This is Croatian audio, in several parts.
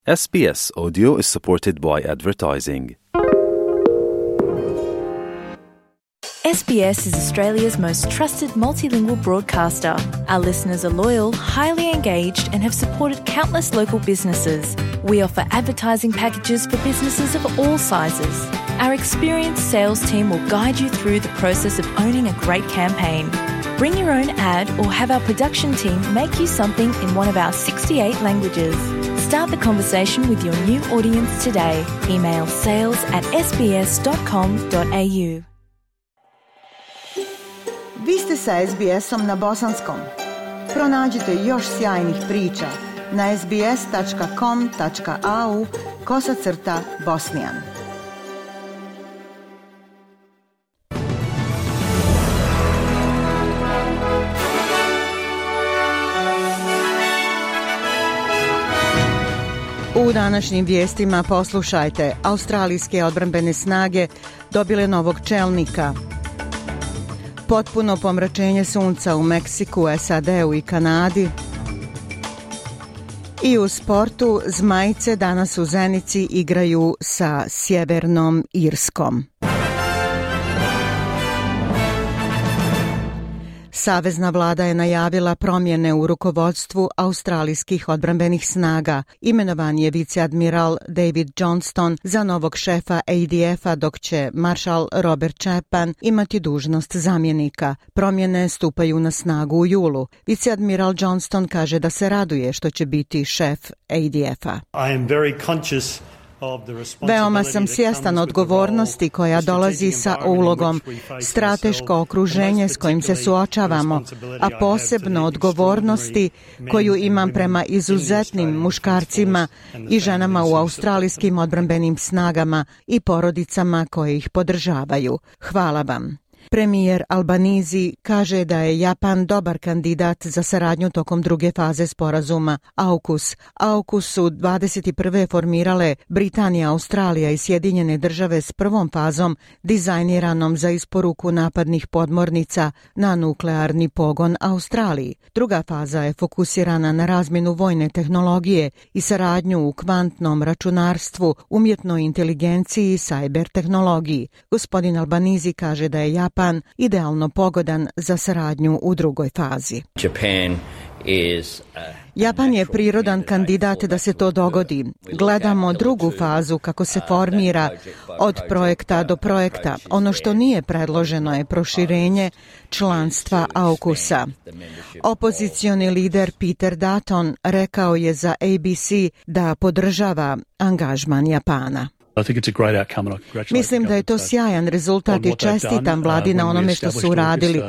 SBS Audio is supported by advertising. SBS is Australia's most trusted multilingual broadcaster. Our listeners are loyal, highly engaged, and have supported countless local businesses. We offer advertising packages for businesses of all sizes. Our experienced sales team will guide you through the process of owning a great campaign. Bring your own ad or have our production team make you something in one of our 68 languages. Start the conversation with your new audience today. Email sales@sbs.com.au. Vi ste sa SBS-om na bosanskom. Pronađite još sjajnih priča na sbs.com.au/bosnian. U današnjim vijestima poslušajte: australijske odbrambene snage dobile novog čelnika, potpuno pomračenje sunca u Meksiku, SAD-u i Kanadi i u sportu Zmajice danas u Zenici igraju sa Sjevernom Irskom. Savezna vlada je najavila promjene u rukovodstvu australijskih odbrambenih snaga. Imenovan je viceadmiral David Johnston za novog šefa ADF-a, dok će maršal Robert Chapman imati dužnost zamjenika. Promjene stupaju na snagu u julu. Viceadmiral Johnston kaže da se raduje što će biti šef ADF-a. Veoma sam svjestan odgovornosti koja dolazi sa ulogom, strateško okruženje s kojim se suočavamo, a posebno odgovornosti koju imam prema izuzetnim muškarcima i ženama u australijskim odbrambenim snagama i porodicama koje ih podržavaju. Hvala vam. Premijer Albanizi kaže da je Japan dobar kandidat za saradnju tokom druge faze sporazuma AUKUS. AUKUS su 21. formirale Britanija, Australija i Sjedinjene države s prvom fazom dizajniranom za isporuku napadnih podmornica na nuklearni pogon Australiji. Druga faza je fokusirana na razmjenu vojne tehnologije i saradnju u kvantnom računarstvu, umjetnoj inteligenciji i cyber tehnologiji. Gospodin Albanizi kaže da je Japan idealno pogodan za saradnju u drugoj fazi. Japan je prirodan kandidat da se to dogodi. Gledamo drugu fazu kako se formira od projekta do projekta. Ono što nije predloženo je proširenje članstva AUKUS-a. Opozicioni lider Peter Dutton rekao je za ABC da podržava angažman Japana. Mislim da je to sjajan rezultat i čestitam vladi na onome što su uradili.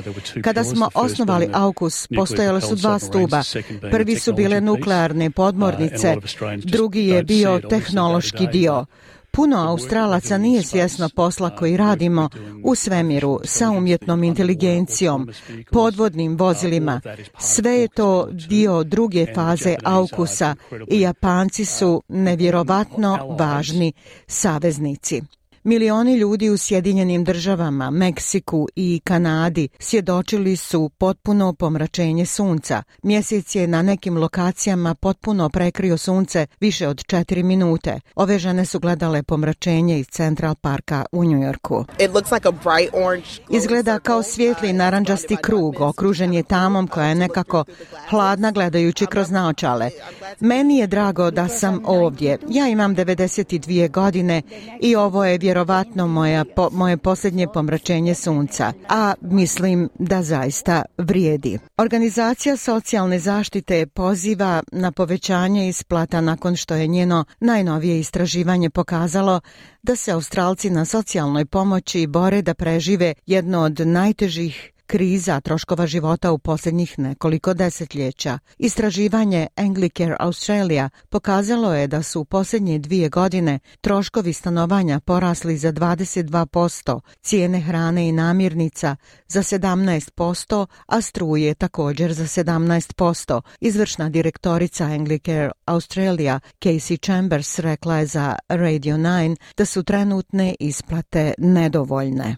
Kada smo osnovali AUKUS, postojale su dva stuba. Prvi su bile nuklearne podmornice, drugi je bio tehnološki dio. Puno Australaca nije svjesno posla koji radimo u svemiru sa umjetnom inteligencijom, podvodnim vozilima. Sve je to dio druge faze AUKUS-a i Japanci su nevjerovatno važni saveznici. Milioni ljudi u Sjedinjenim državama, Meksiku i Kanadi svjedočili su potpuno pomračenje sunca. Mjesec je na nekim lokacijama potpuno prekrio sunce više od 4 minute. Ove žene su gledale pomračenje iz Central Parka u Njujorku. Izgleda kao svijetli narandžasti krug, okružen je tamom koja je nekako hladna gledajući kroz naočale. Meni je drago da sam ovdje. Ja imam 92 godine i ovo je vjerovatno moje posljednje pomračenje sunca, a mislim da zaista vrijedi. Organizacija socijalne zaštite poziva na povećanje isplata nakon što je njeno najnovije istraživanje pokazalo da se Australci na socijalnoj pomoći bore da prežive jedno od najtežih kriza troškova života u posljednjih nekoliko desetljeća. Istraživanje Anglicare Australia pokazalo je da su u posljednje 2 godine troškovi stanovanja porasli za 22%, cijene hrane i namirnica za 17%, a struje također za 17%. Izvršna direktorica Anglicare Australia Casey Chambers rekla je za Radio 9 da su trenutne isplate nedovoljne.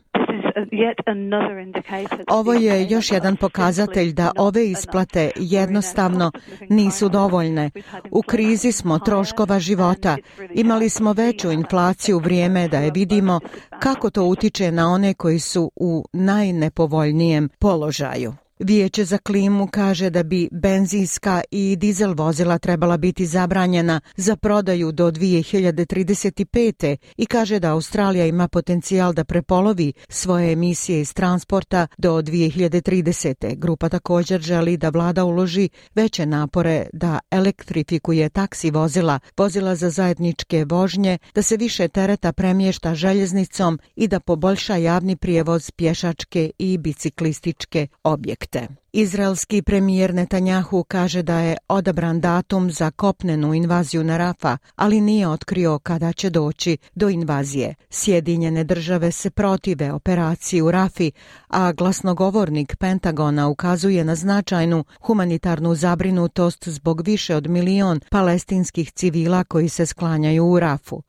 Ovo je još jedan pokazatelj da ove isplate jednostavno nisu dovoljne. U krizi smo troškova života. Imali smo veću inflaciju, vrijeme da je vidimo kako to utiče na one koji su u najnepovoljnijem položaju. Vijeće za klimu kaže da bi benzinska i dizel vozila trebala biti zabranjena za prodaju do 2035. i kaže da Australija ima potencijal da prepolovi svoje emisije iz transporta do 2030. Grupa također želi da vlada uloži veće napore da elektrifikuje taksi vozila, vozila za zajedničke vožnje, da se više tereta premješta željeznicom i da poboljša javni prijevoz, pješačke i biciklističke objekte. Izraelski premijer Netanjahu kaže da je odabran datum za kopnenu invaziju na Rafa, ali nije otkrio kada će doći do invazije. Sjedinjene države se protive operaciji u Rafi, a glasnogovornik Pentagona ukazuje na značajnu humanitarnu zabrinutost zbog više od 1 milion palestinskih civila koji se sklanjaju u Rafu.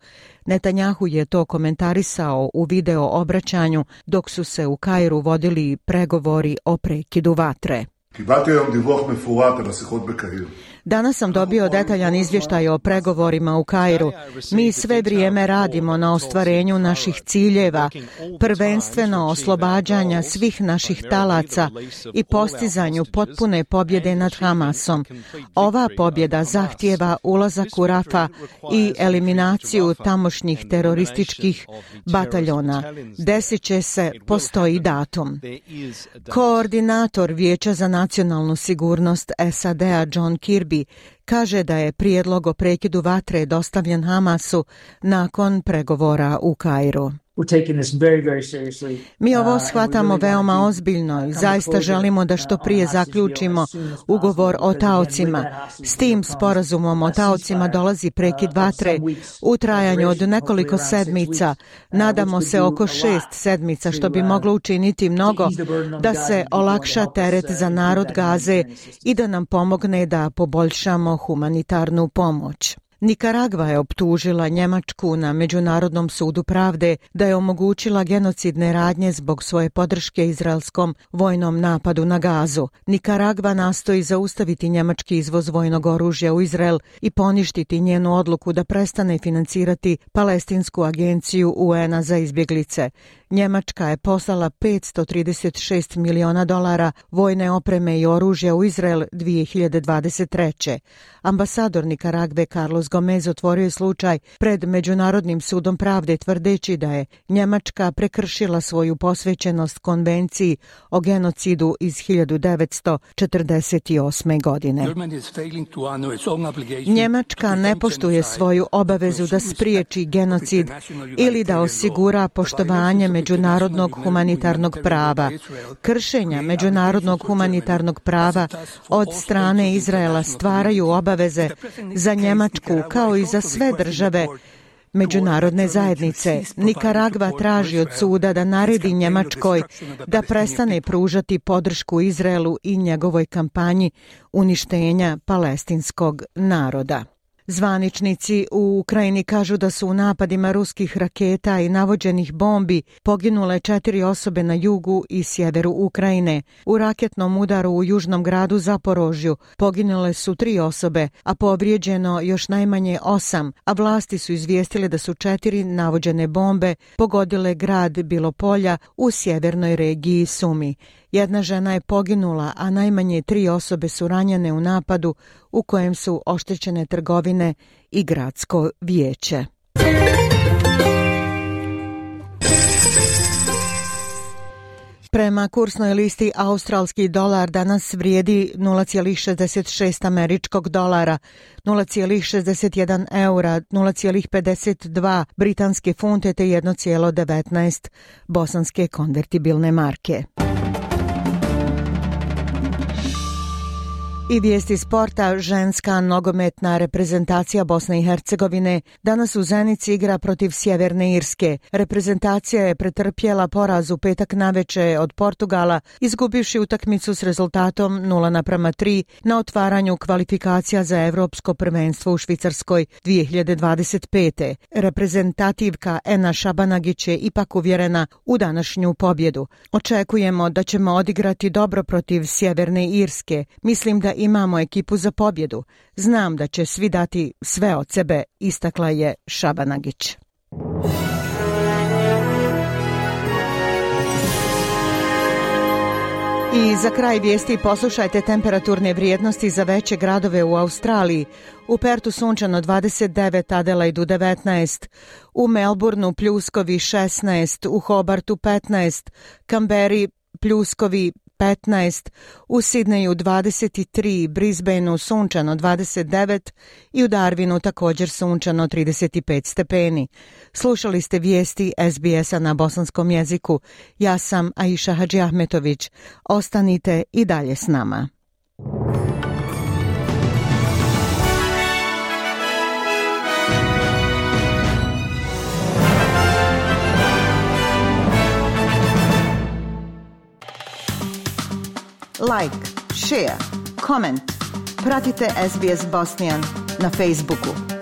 Netanjahu je to komentarisao u video obraćanju dok su se u Kairu vodili pregovori o prekidu vatre. Danas sam dobio detaljan izvještaj o pregovorima u Kairu. Mi sve vrijeme radimo na ostvarenju naših ciljeva, prvenstveno oslobađanja svih naših talaca i postizanju potpune pobjede nad Hamasom. Ova pobjeda zahtijeva ulazak u Rafa i eliminaciju tamošnjih terorističkih bataljona. Desit će se, postoji datum. Koordinator Vijeća za nacionalnu sigurnost SAD-a John Kirby kaže da je prijedlog o prekidu vatre dostavljen Hamasu nakon pregovora u Kairu. Mi ovo shvatamo veoma ozbiljno i zaista želimo da što prije zaključimo ugovor o taocima. S tim sporazumom o taocima dolazi prekid vatre u trajanju od nekoliko sedmica. Nadamo se oko 6 sedmica, što bi moglo učiniti mnogo da se olakša teret za narod Gaze i da nam pomogne da poboljšamo humanitarnu pomoć. Nikaragva je optužila Njemačku na Međunarodnom sudu pravde da je omogućila genocidne radnje zbog svoje podrške izraelskom vojnom napadu na Gazu. Nikaragva nastoji zaustaviti njemački izvoz vojnog oružja u Izrael i poništiti njenu odluku da prestane financirati palestinsku agenciju UN-a za izbjeglice. Njemačka je poslala $536 miliona vojne opreme i oružja u Izrael 2023. Ambasador Nikaragve Carlos Gomez otvorio je slučaj pred Međunarodnim sudom pravde tvrdeći da je Njemačka prekršila svoju posvećenost konvenciji o genocidu iz 1948. godine. Njemačka ne poštuje svoju obavezu da spriječi genocid ili da osigura poštovanje međunarodnog humanitarnog prava. Kršenja međunarodnog humanitarnog prava od strane Izraela stvaraju obaveze za Njemačku kao i za sve države međunarodne zajednice. Nikaragva traži od suda da naredi Njemačkoj da prestane pružati podršku Izraelu i njegovoj kampanji uništenja palestinskog naroda. Zvaničnici u Ukrajini kažu da su u napadima ruskih raketa i navođenih bombi poginule 4 osobe na jugu i sjeveru Ukrajine. U raketnom udaru u južnom gradu Zaporožju poginule su 3 osobe, a povrijeđeno još najmanje 8, a vlasti su izvijestile da su 4 navođene bombe pogodile grad Bilopolja u sjevernoj regiji Sumi. Jedna žena je poginula, a najmanje 3 osobe su ranjene u napadu u kojem su oštećene trgovine i gradsko vijeće. Prema kursnoj listi australski dolar danas vrijedi 0,66 američkog dolara, 0,61 eura, 0,52 britanske funte te 1,19 bosanske konvertibilne marke. I vijesti sporta, ženska nogometna reprezentacija Bosne i Hercegovine danas u Zenici igra protiv Sjeverne Irske. Reprezentacija je pretrpjela poraz u petak naveče od Portugala, izgubivši utakmicu s rezultatom 0:3 na otvaranju kvalifikacija za Evropsko prvenstvo u Švicarskoj 2025. Reprezentativka Ena Šabanagić je ipak uvjerena u današnju pobjedu. Očekujemo da ćemo odigrati dobro protiv Sjeverne Irske. Mislim da imamo ekipu za pobjedu. Znam da će svi dati sve od sebe, istakla je Šabanagić. I za kraj vijesti poslušajte temperaturne vrijednosti za veće gradove u Australiji. U Pertu sunčano 29, Adelaidu 19, u Melbourneu pljuskovi 16, u Hobartu 15, Kamberi pljuskovi 15, u Sidneju 23, Brisbaneu sunčano 29 i u Darwinu također sunčano 35 stepeni. Slušali ste vijesti SBS-a na bosanskom jeziku. Ja sam Aisha Hadžiahmetović. Ostanite i dalje s nama. Like, share, comment. Pratite SBS Bosnian na Facebooku.